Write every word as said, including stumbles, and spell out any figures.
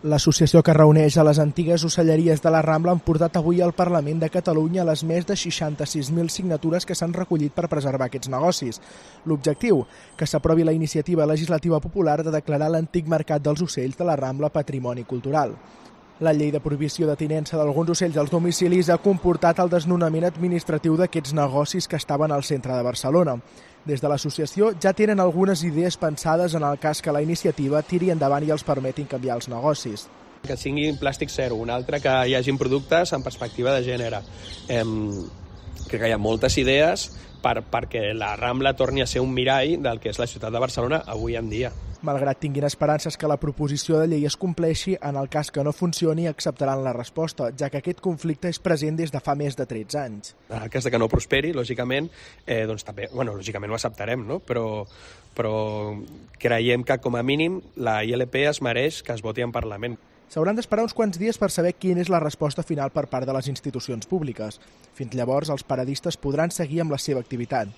L'associació que reuneix a les antigues ocelleries de la Rambla han portat avui al Parlament de Catalunya les més de seixanta-sis mil signatures que s'han recollit per preservar aquests negocis. L'objectiu, que s'aprovi la iniciativa legislativa popular de declarar l'antic mercat dels ocells de la Rambla patrimoni cultural. La llei de prohibició de tinença d'alguns ocells als domicilis ha comportat el desnonament administratiu d'aquests negocis que estaven al centre de Barcelona. Des de l'associació ja tenen algunes idees pensades en el cas que la iniciativa tiri endavant i els permetin canviar els negocis. Que siguin plàstic zero, un altre que hi hagin productes en perspectiva de gènere. Eh, crec que hi ha moltes idees per, perquè la Rambla torni a ser un mirall del que és la ciutat de Barcelona avui en dia. Malgrat tinguin esperances que la proposició de llei es compleixi, en el cas que no funcioni acceptaran la resposta, ja que aquest conflicte és present des de fa més de tretze anys. En el cas de que no prosperi, lògicament, eh, doncs també, bueno, lògicament ho acceptarem, no? Però, però creiem que com a mínim la I L P es mereix que es voti en Parlament. S'hauran d'esperar uns quants dies per saber quina és la resposta final per part de les institucions públiques. Fins llavors, els paradistes podran seguir amb la seva activitat.